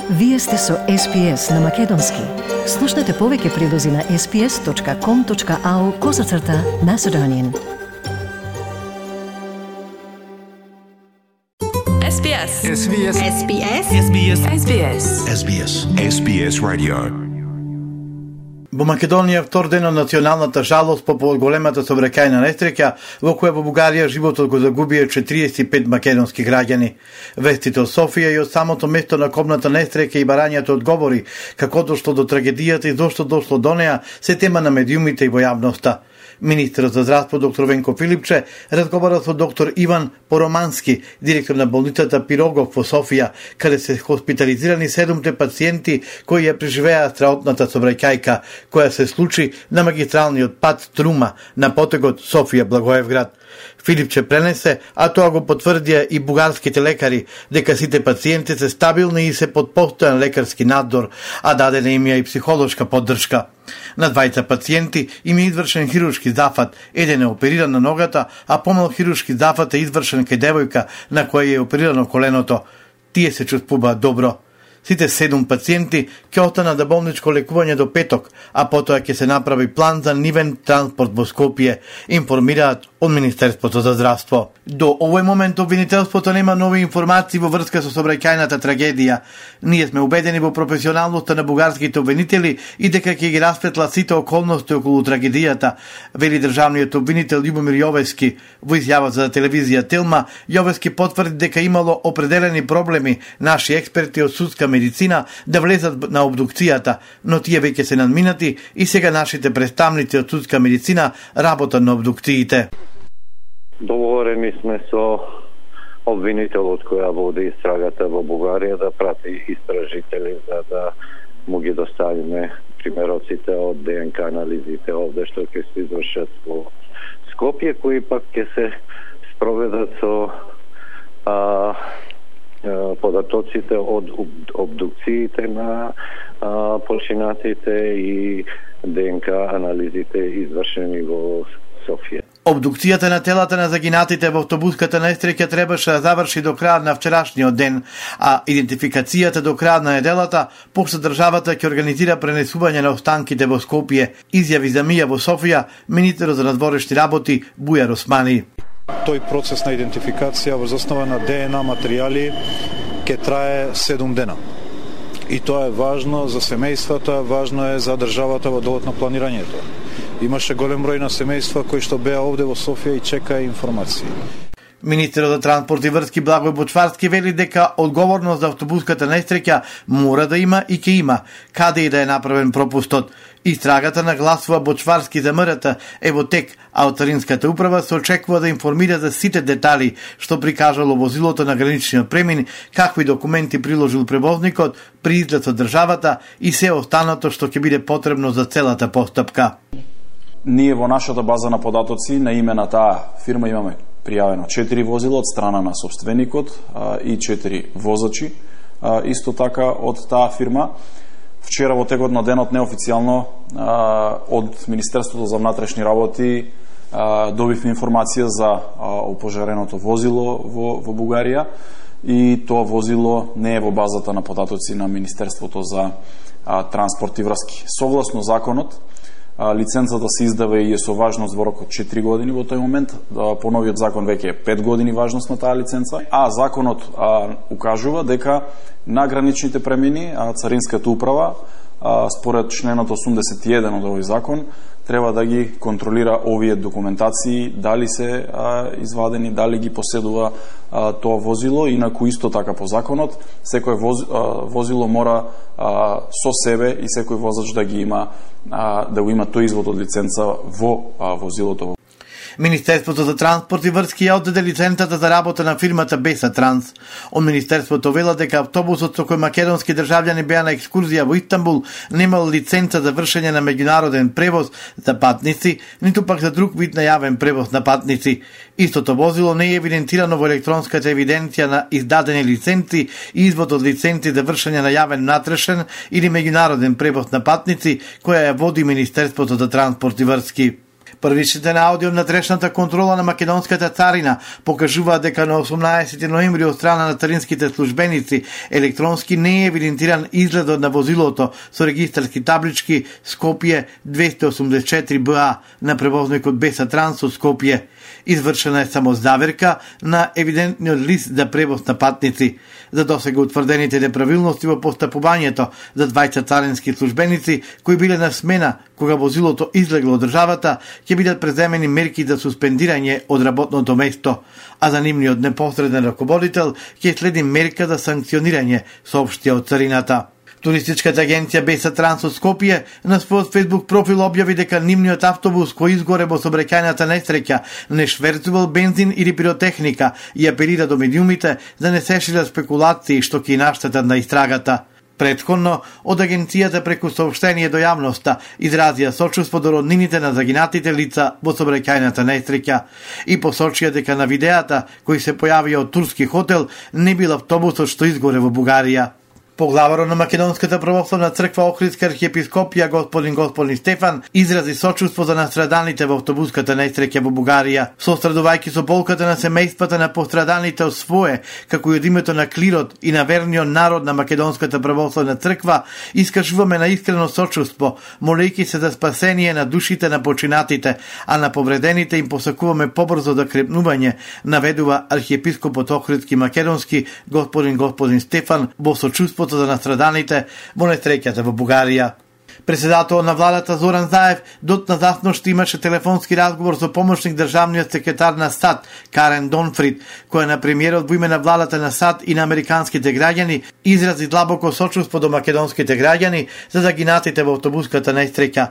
Вие сте со SPS на Македонски. Слушнете повеќе прилози на sps.com.au/Macedonian. SBS. SBS. SBS. SBS. SBS. SBS. SBS Radio. Во Македонија втор ден од националната жалост по големата сообраќајна несреќа во која во Бугарија животот го загубија 45 македонски граѓани. Вестите од Софија и од самото место на кобната несреќа и барањето одговори како дошло до трагедијата и зошто дошло до неа се тема на медиумите и во јавноста. Министерот за здравство доктор Венко Филипче разговара со доктор Иван Поромански, директор на болницата Пирогов во Софија, каде се хоспитализирани 7 пациенти кои ја преживеа страотната сообраќајка која се случи на магистралниот пат Трума на потегот Софија-Благоевград. Филипче пренесе, а тоа го потврдија и бугарските лекари, дека сите пациенти се стабилни и се под постојан лекарски надзор, а дадена им ја и психолошка поддршка. На двајца пациенти им е извршен хируршки зафат, еден е опериран на ногата, а помал хируршки зафат е извршен кај девојка на која е оперирано коленото. Тие се чувствуваат добро. Сите 7 пациенти ќе останат за болничко лекување до петок, а потоа ќе се направи план за нивен транспорт во Скопје, информираат од Министерството за здравство. До овој момент обвинителството нема нови информации во врска со сообраќајната трагедија. Ние сме убедени во професионалноста на бугарските обвинители и дека ќе ги расветла сите околности околу трагедијата, вели државниот обвинител Љубомир Јовески. Во изјава за телевизија Телма, Јовески потврди дека имало определени проблеми наши експерти од судска медицина да влезат на обдукцијата, но тие веќе се надминати и сега нашите представници од судска медицина работат на обдукциите. Договорени сме со обвинителот која води истрагата во Бугарија да прати истражители за да му ги доставиме примероците од ДНК анализите овде што ќе се извршат во Скопје, кои пак ќе се спроведат со податоците од обдукциите на починатите и ДНК анализите извршени во Софија. Обдукцијата на телата на загинатите во автобуската несреќа требаше да заврши до крајот на вчерашниот ден, а идентификацијата до крајот на неделата, пошто државата ќе организира пренесување на останките во Скопје, изјави за Мија во Софија министерот за надворешни работи Бујар Османи. Тој процес на идентификација во основа на ДНА материјали ќе трае 7 дена. И тоа е важно за семејствата, важно е за државата во делот на планирањето. Имаше голем број на семејства кои што беа овде во Софија и чекаа информации. Министерот за транспорт и врски Благој Бочварски вели дека одговорност за автобуската несреќа мора да има и ќе има, каде и да е направен пропустот. Истрагата нагласува Бочварски за МРТ е во тек, а од Царинската управа се очекува да информира за сите детали што прикажало возилото на граничниот премин, какви документи приложил превозникот при излет од државата и се останато што ќе биде потребно за целата постапка. Ние во нашата база на податоци на име на таа фирма имаме пријавено 4 возила од страна на собственикот и 4 возачи, исто така од таа фирма. Вчера во текот на денот неофицијално од Министерството за внатрешни работи добивме информација за опожареното возило во Бугарија и тоа возило не е во базата на податоци на Министерството за транспорт и врски. Согласно законот, лиценцата се издава и е со важност во рок од 4 години во тој момент, по новиот закон веќе е 5 години важност на таа лиценца, а законот укажува дека на граничните премини Царинската управа според членот 81 од овој закон треба да ги контролира овие документации, дали се извадени, дали ги поседува тоа возило, инаку исто така по законот секој возило мора со себе и секој возач да ги има да го има тој извод од лиценца во возилото. Министерството за транспорт и врски ја оддаде лиценцата за работа на фирмата Беса Транс. Од Министерството вела дека автобусот со кој македонски државјани беа на екскурзија во Истанбул немал лиценца за вршење на меѓународен превоз за патници, ниту пак за друг вид најавен превоз на патници. Истото возило не е евидентирано во електронската евиденција на издадени лиценци и извод од лиценци за вршење на јавен натрешен или меѓународен превоз на патници, која ја води Министерството за транспорт и врски. Првичните наоди од натрешната контрола на македонската царина покажуваат дека на 18 ноември од страна на царинските службеници електронски не е евидентиран изгледот на возилото со регистарски таблички Скопје 284 БА на превозникот Беса Транс од Скопје. Извршена е само заверка на евидентниот лист за превоз на патници. За досега утврдените неправилности во постапувањето за двајца царински службеници кои биле на смена кога возилото излегло од државата, ќе бидат преземени мерки за суспендирање од работното место, а за нивниот непосреден раководител ќе следи мерка за санкционирање, соопштија од царината. Туристичката агенција Беса Транс од Скопје на својот фејсбук профил објави дека нивниот автобус кој изгоре во сообраќајната несреќа не шверцувал бензин или пиротехника и апелира до медиумите да не се шират спекулации што ќе наштетат на истрагата. Претходно, од агенцијата преку сообштение до јавноста изразија сочувство до роднините на загинатите лица во сообраќајната несреќа и посочија дека на видеата кои се појавија од турски хотел не бил автобусот што изгоре во Бугарија. Поглаварот на Македонската православна црква Охридска архиепископија господин Стефан изрази сочувство за настраданите во автобуската несреќа во Бугарија, сострадувајќи со болката на семејствата на постраданите од свое, како и од името на клирот и на верниот народ на Македонската православна црква, искажуваме на искрено сочувство, молејќи се за спасение на душите на починатите, а на повредените им посакуваме побрзо да крепнување, наведува архиепископот Охридски македонски господин Стефан во сочувство за настраданите во несреќата во Бугарија. Председателот на владата Зоран Заев дотна засношти имаше телефонски разговор со помошник државниот секретар на САД Карен Донфрид, која на премиерот во име на владата на САД и на американските граѓани изрази длабоко сочувство до македонските граѓани за загинатите во автобуската несреќа,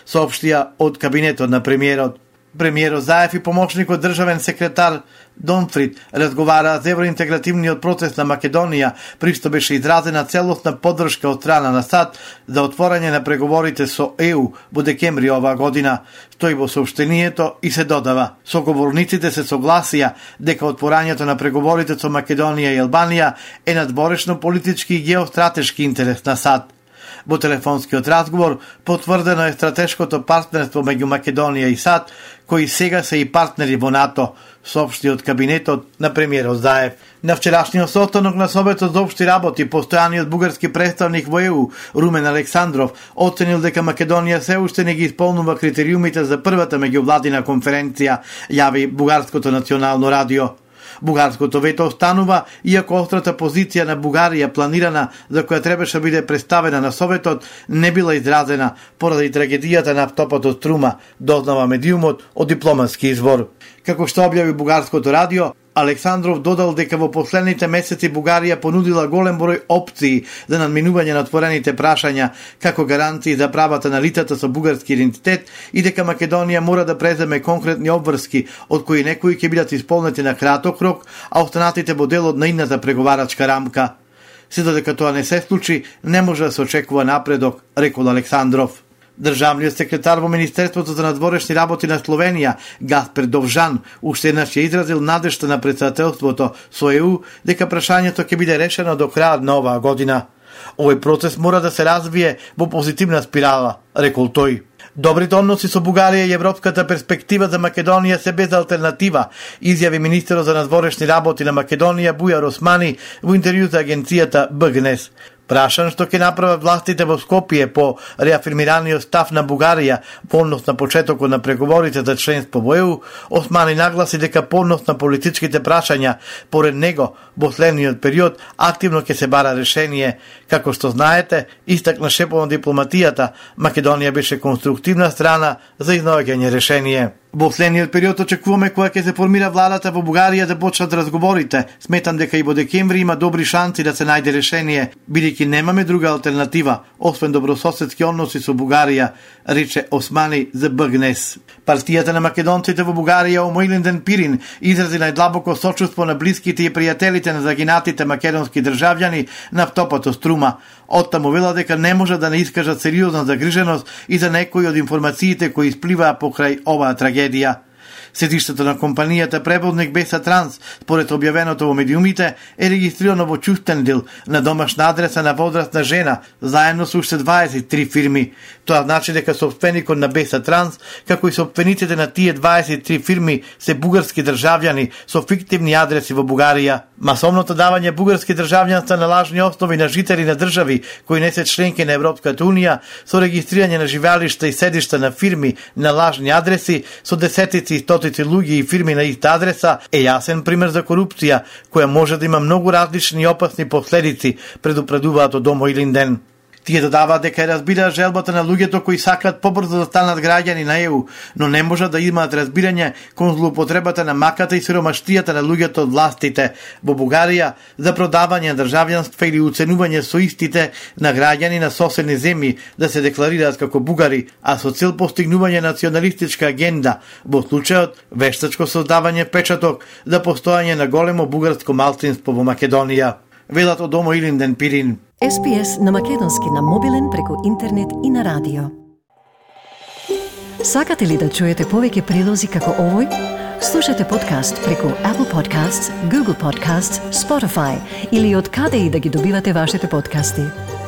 соопштија од кабинетот на премиерот. Премиерот Заев и помошникот државен секретар Донфрид разговараа за евроинтегративниот процес на Македонија, при што беше изразена целосна поддршка од страна на САД за отворање на преговорите со ЕУ во декември оваа година, стои во соопштението и се додава. Соговорниците се согласија дека отворањето на преговорите со Македонија и Албанија е надворешно политички и геостратешки интерес на САД. Во телефонскиот разговор потврдено е стратешкото партнерство меѓу Македонија и САД, кои сега се и партнери во НАТО, соопшти од кабинетот на премиерот Заев. На вчерашниот состанок на Советот за општи работи, постојаниот бугарски представник во ЕУ, Румен Александров, оценил дека Македонија се уште не ги исполнува критериумите за првата меѓувладина конференција, јави Бугарското национално радио. Бугарското вето останува, иако острата позиција на Бугарија планирана за која требаше биде представена на Советот, не била изразена поради трагедијата на автопатот Струма, дознава медиумот од дипломатски извор. Како што објави Бугарското радио, Александров додал дека во последните месеци Бугарија понудила голем број опции за надминување на отворените прашања, како гаранции за правата на лицата со бугарски идентитет и дека Македонија мора да преземе конкретни обврски, од кои некои ќе бидат исполнети на краток рок, а останатите во дел од наидната преговарачка рамка. Се додека тоа не се случи, не може да се очекува напредок, рекол Александров. Државниот секретар во Министерството за надворешни работи на Словенија, Гаспер Довжан, уште еднаш ја изразил надежта на председателството со ЕУ дека прашањето ќе биде решено до крајот на оваа година. Овој процес мора да се развие во позитивна спирала, рекол тој. Добрите односи со Бугарија и европската перспектива за Македонија се без алтернатива, изјави министерот за надворешни работи на Македонија Бујар Османи во интервју за агенцијата БГНЕС. Прашан што ќе направат властите во Скопје по реафирмираниот став на Бугарија во однос на почетокот на преговорите за членство во ЕУ, Османи нагласи дека по однос на политичките прашања, поред него, во следниот период, активно ќе се бара решение. Како што знаете, истакна шепот на дипломатијата, Македонија беше конструктивна страна за изнаоѓање решение. Во следниот период очекуваме кога ќе се формира владата во Бугарија да почнат разговорите. Сметам дека и во декември има добри шанси да се најде решение, бидејќи немаме друга алтернатива, освен добрососедски односи со Бугарија, рече Османи за БГНЕС. Партијата на македонците во Бугарија Омојлинден Пирин изрази најдлабоко сочувство на блиските и пријателите на загинатите македонски државјани на автопатот Струма. Оттаму вела дека не може да не искажат сериозна загриженост и за некои од информациите кои испливаа покрај оваа трагедија. Седиштето на компанијата превозник Беса Транс, според објавеното во медиумите, е регистрирано во Чустендил на домашна адреса на возрастна жена, заедно со уште 23 фирми. Тоа значи дека сопственикот на Беса Транс, како и сопствениците на тие 23 фирми, се бугарски државјани со фиктивни адреси во Бугарија. Масовното давање бугарски државјанства на лажни основи на жители на држави кои не се членки на Европската унија, со регистрирање на живеалишта и седишта на фирми на лажни адреси, со десетици и стотици луѓе и фирми на иста адреса, е јасен пример за корупција, која може да има многу различни и опасни последици, предупредуваат од Домо Илинден. Тие додаваат дека разбираат желбата на луѓето кои сакаат побрзо да станат граѓани на ЕУ, но не можат да имаат разбирање кон злоупотребата на маката и сиромаштијата на луѓето од властите во Бугарија за продавање на државјанство или уценување со истите на граѓани на соседни земји да се декларираат како бугари, а со цел постигнување националистичка агенда, во случајот вештачко создавање печаток за постојање на големо бугарско малцинство во Македонија. Велат од Домо Илинден Пирин. SPS на македонски на мобилен преку интернет и на радио. Сакате ли да чуете повеќе прилози како овој? Слушате подкаст преку Apple Podcasts, Google Podcasts, Spotify или од каде и да ги добивате вашите подкасти.